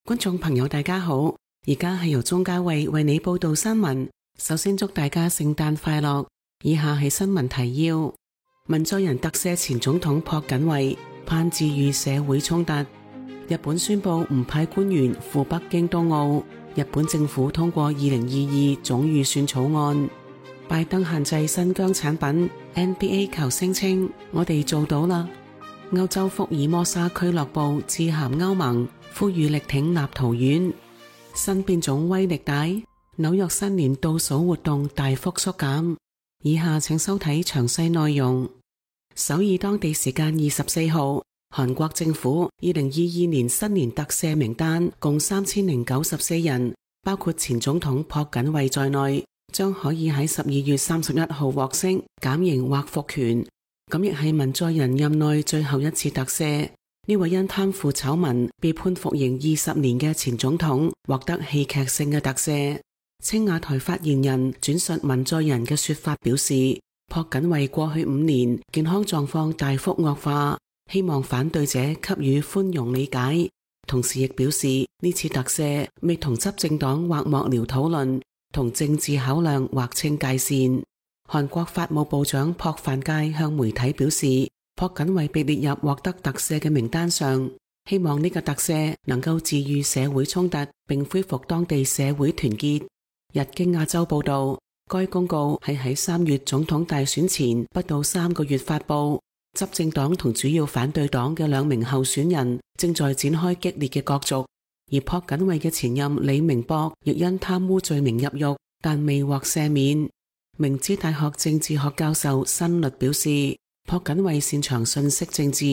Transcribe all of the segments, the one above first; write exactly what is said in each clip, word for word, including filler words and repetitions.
觀眾朋友大家好，而家係由鍾嘉慧為你報道新聞。首先祝大家聖誕快樂。以下係新聞提要：文在寅特赦前總統朴槿惠，盼治癒社會衝突。日本宣布唔派官員赴北京冬奧。日本政府通過二零二二總預算草案。拜登限制新疆產品。N B A 球星稱：我哋做到啦。歐洲福爾摩沙俱樂部致函歐盟，呼籲力挺立陶宛。新變種威力大，紐約新年倒數活動大幅縮減。以下請收睇詳細內容。首爾當地時間二十四號，韓國政府二零二二年新年特赦名單共三千零九十四人，包括前總統朴槿惠在內，將可以喺十二月三十一號獲釋、減刑或復權。咁亦係文在寅任內最後一次特赦。呢位因貪腐醜聞被判服刑二十年嘅前總統獲得戲劇性嘅特赦。青瓦台發言人轉述文在寅嘅說法表示，朴槿惠過去五年健康狀況大幅惡化，希望反對者給予寬容理解。同時亦表示呢次特赦未同執政黨或幕僚討論，同政治考量劃清界線。韓國法務部長朴范介向媒體表示，朴槿惠被列入獲得特赦嘅名單上，希望呢個特赦能夠治癒社會衝突，並恢復當地社會團結。日經亞洲報道，該公告係喺三月總統大選前不到三個月發佈。執政黨同主要反對黨嘅兩名候選人正在展開激烈嘅角逐，而朴槿惠嘅前任李明博亦因貪污罪名入獄，但未獲赦免。明知大學政治學教授辛律表示，朴槿惠擅長信息政治，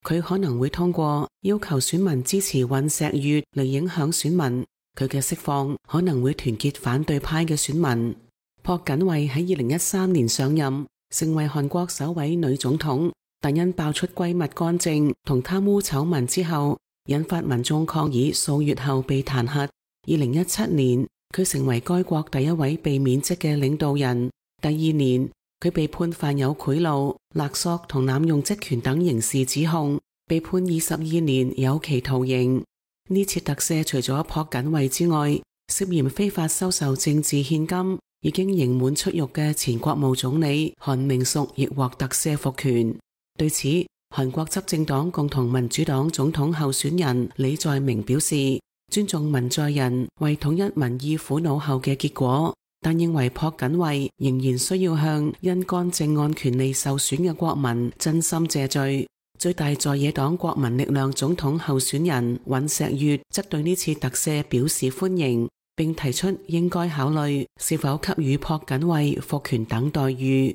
佢可能會通過要求選民支持尹錫悅嚟影響選民。佢嘅釋放可能會團結反對派嘅選民。朴槿惠喺二零一三年上任，成為韓國首位女總統，但因爆出閨蜜干政同貪污醜聞之後，引發民眾抗議，數月後被彈劾。二零一七年，佢成為該國第一位被免職嘅領導人。第二年，佢被判犯有賄賂、勒索同濫用職權等刑事指控，被判二十二年有期徒刑。呢次特赦除咗朴槿惠之外，涉嫌非法收受政治獻金、已經刑滿出獄嘅前國務總理韓明淑亦獲特赦復權。對此，韓國執政黨共同民主黨總統候選人李在明表示，尊重文在寅為統一民意苦惱後嘅結果，但認為朴槿惠仍然需要向因干政案權利受損嘅國民真心謝罪。最大在野黨國民力量總統候選人尹錫悅則對呢次特赦表示歡迎，並提出應該考慮是否給予朴槿惠復權等待遇。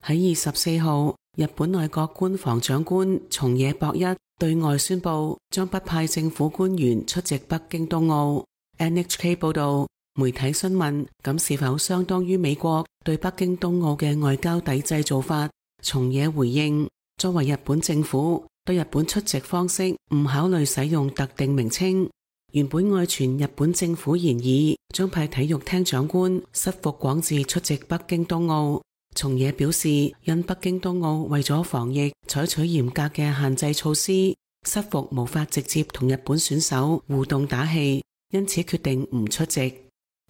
喺二十四號，日本內閣官房長官松野博一對外宣布將不派政府官員出席北京冬奧。N H K 報道，媒體詢問咁是否相當於美國對北京冬奧嘅外交抵制做法，松野回應，作為日本政府，對日本出席方式唔考慮使用特定名稱。原本外傳日本政府研議將派體育廳長官室伏廣治出席北京冬奧。松野表示，因北京冬奧為咗防疫採取嚴格嘅限制措施，室伏無法直接同日本選手互動打氣，因此決定唔出席。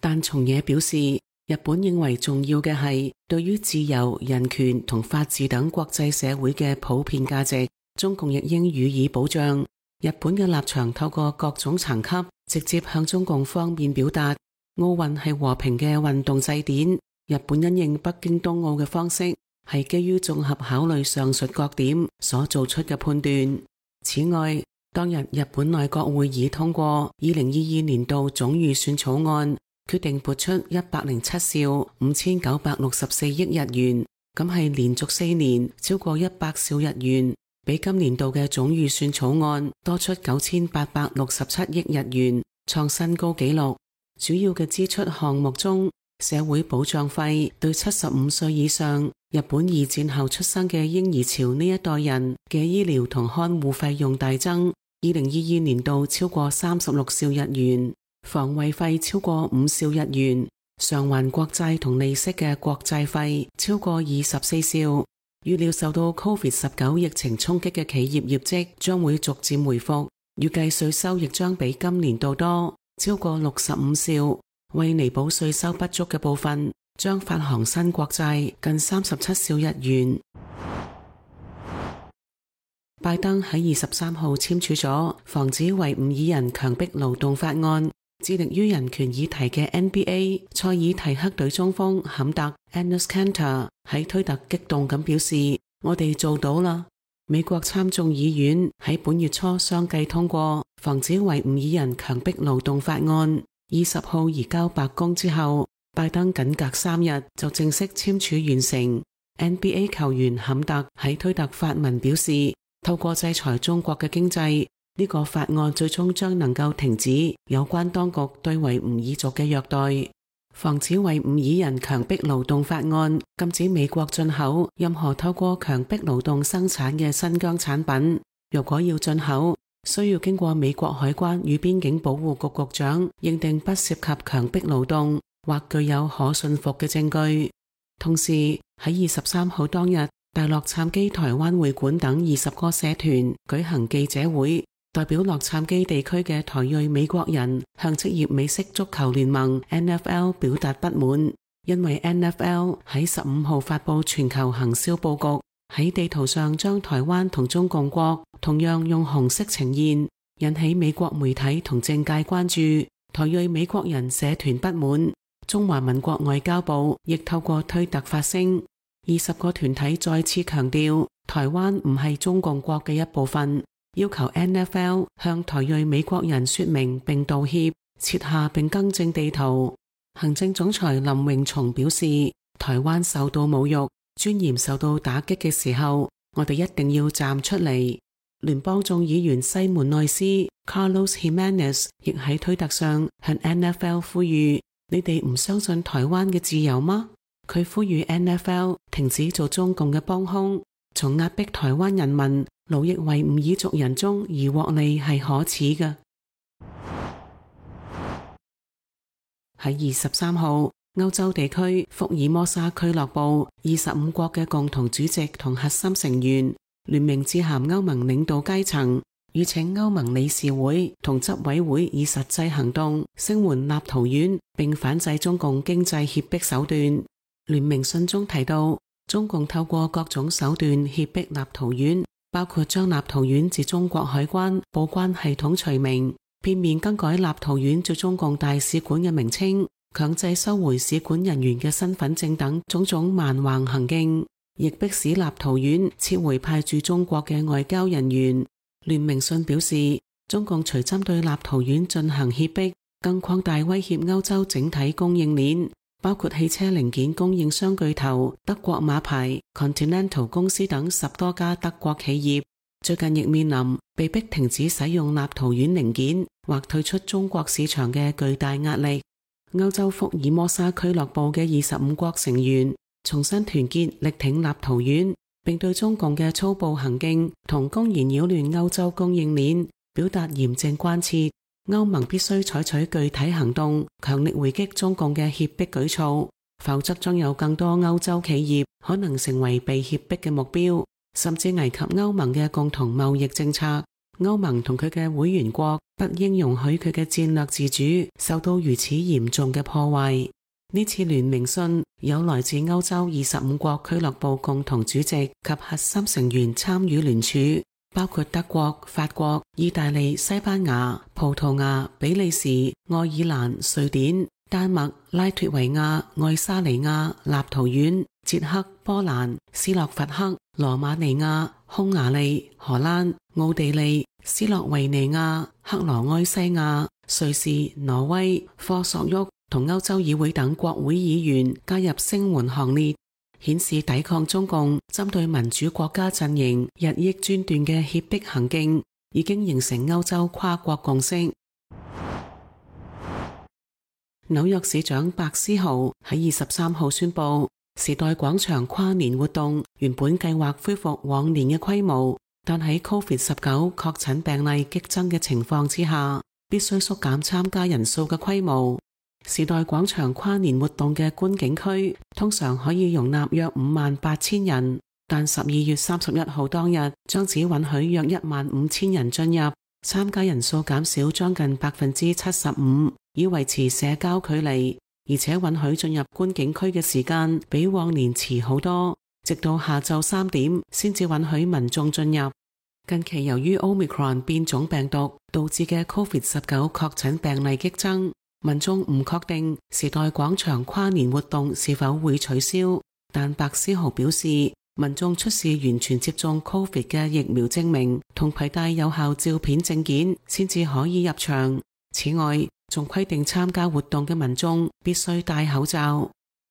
但松野表示，日本認為重要嘅係對於自由、人權同法治等國際社會嘅普遍價值，中共亦應予以保障。日本嘅立場透過各種層級直接向中共方面表達，奧運係和平嘅運動祭典。日本因應北京冬奧嘅方式係基於綜合考慮上述各點所做出嘅判斷。此外，當日日本內閣會議通過二零二二年度總預算草案，決定撥出一百零七兆五千九百六十四億日元，咁係連續四年超過一百兆日元，比今年度嘅總預算草案多出九千八百六十七億日元，創新高紀錄。主要嘅支出項目中，社會保障費對七十五歲以上日本二戰後出生嘅嬰兒潮呢一代人嘅醫療同看護費用大增，二零二二年度超過三十六兆日元。防衛費超過五兆日元，償還國債同利息嘅國債費超過二十四兆，預料受到 Covid 十九 疫情衝擊嘅企業業績將會逐漸回復，預計稅收亦將比今年度多超過六十五兆。為彌補稅收不足嘅部分，將發行新國債近三十七兆日元。拜登喺二十三號簽署咗防止維吾爾人強迫勞動法案，致力於人權議題嘅 N B A 塞爾提克隊中鋒坎特 Enes Kanter 喺推特激動咁表示：我哋做到啦！美國參眾議院喺本月初相繼通過防止維吾爾人強迫勞動法案，二十號移交白宮之後，拜登僅隔三日就正式簽署完成。N B A 球員坎特喺推特發文表示：透過制裁中國嘅經濟，呢個法案最終將能夠停止有關當局對維吾爾族嘅虐待。防止維吾爾人強迫勞動法案禁止美國進口任何透過強迫勞動生產嘅新疆產品。若果要進口，需要經過美國海關與邊境保護局局長認定不涉及強迫勞動或具有可信服嘅證據。同時喺二十三號當日，大洛杉磯台灣會館等二十個社團舉行記者會，代表洛杉磯地區嘅台裔美國人向職業美式足球聯盟 N F L 表達不滿，因為 N F L 喺十五號發佈全球行銷佈局，喺地圖上將台灣同中共國同樣用紅色呈現，引起美國媒體同政界關注。台裔美國人社團不滿，中華民國外交部亦透過推特發聲。二十個團體再次強調，台灣唔係中共國嘅一部分，要求 N F L 向台裔美國人說明並道歉，撤下並更正地圖。行政總裁林榮松表示，台灣受到侮辱、尊嚴受到打擊嘅時候，我哋一定要站出嚟。聯邦眾議員西門內斯 Carlos Jimenez 亦喺推特上向 N F L 呼籲：你哋唔相信台灣嘅自由嗎？佢呼籲 N F L 停止做中共嘅幫兇，從壓迫台灣人民、奴役維吾爾族人中而獲利係可恥嘅。喺二十三號，歐洲地區福爾摩沙俱樂部二十五國嘅共同主席同核心成員聯名致函歐盟領導階層，籲請歐盟理事會同執委會以實際行動聲援立陶宛，並反制中共經濟脅迫手段。聯名信中提到，中共透過各種手段脅迫立陶宛，包括將立陶宛自中國海關報關系統除名，片面更改立陶宛駐中共大使館嘅名稱，強制收回使館人員嘅身份證等種種蠻橫行徑，亦迫使立陶宛撤回派駐中國嘅外交人員。聯名信表示，中共除針對立陶宛進行脅迫，更擴大威脅歐洲整體供應鏈，包括汽車零件供應商巨頭德國馬牌 Continental 公司等十多家德國企業，最近亦面臨被迫停止使用立陶宛零件或退出中國市場嘅巨大壓力。歐洲福爾摩沙俱樂部嘅二十五國成員重新團結力挺立陶宛，並對中共嘅粗暴行徑同公然擾亂歐洲供應鏈表達嚴正關切。歐盟必須採取具體行動，強力回擊中共嘅脅迫舉措，否則將有更多歐洲企業可能成為被脅迫嘅目標，甚至危及歐盟嘅共同貿易政策。歐盟同佢嘅會員國不應容許佢嘅戰略自主受到如此嚴重嘅破壞。呢次聯名信有來自歐洲二十五國俱樂部共同主席及核心成員參與聯署，包括德國、法國、意大利、西班牙、葡萄牙、比利時、愛爾蘭、瑞典、丹麥、拉脫維亞、愛沙尼亞、立陶宛、捷克、波蘭、斯洛伐克、羅馬尼亞、匈牙利、荷蘭、奧地利、斯洛維尼亞、克羅埃西亞、瑞士、挪威、科索沃同歐洲議會等國會議員加入聲援行列，顯示抵抗中共針對民主國家陣營日益專斷嘅脅迫行徑已經形成歐洲跨國共識。紐約市長白思豪喺二十三號宣布，時代廣場跨年活動原本計劃恢復往年嘅規模，但喺 Covid 十九 確診病例激增嘅情況之下，必須縮減參加人數嘅規模。時代廣場跨年活動嘅觀景區通常可以容納約五萬八千人，但十二月三十一號當日將只允許約一萬五千人進入，參加人數減少將近百分之七十五，以維持社交距離，而且允許進入觀景區嘅時間比往年遲好多，直到下晝三點先至允許民眾進入。近期由於 Omicron 變種病毒導致嘅 COVID 十九 確診病例激增，民眾唔確定時代廣場跨年活動是否會取消，但白思豪表示，民眾出示完全接種 COVID 嘅疫苗證明同攜帶有效照片證件先至可以入場。此外，仲規定參加活動嘅民眾必須戴口罩。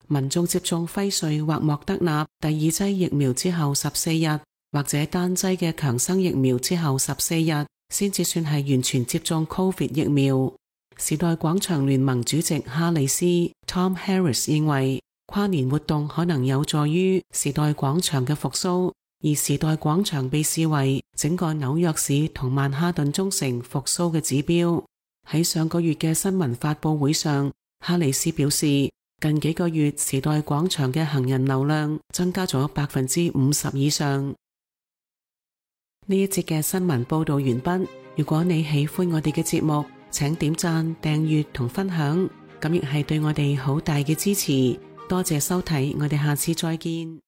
民眾接種輝瑞或莫德納第二劑疫苗之後十四日，或者單劑嘅強生疫苗之後十四日，先至算係完全接種 COVID 疫苗。時代廣場聯盟主席哈里斯 Tom Harris 認為，跨年活動可能有助於時代廣場嘅復甦，而時代廣場被視為整個紐約市同曼哈頓中城復甦嘅指標。喺上個月嘅新聞發佈會上，哈里斯表示，近幾個月時代廣場嘅行人流量增加咗百分之五十以上。呢一節嘅新聞報道完畢。如果你喜歡我哋嘅節目，請點讚、訂閱同分享，咁亦係對我哋好大嘅支持。多謝收睇，我哋下次再見。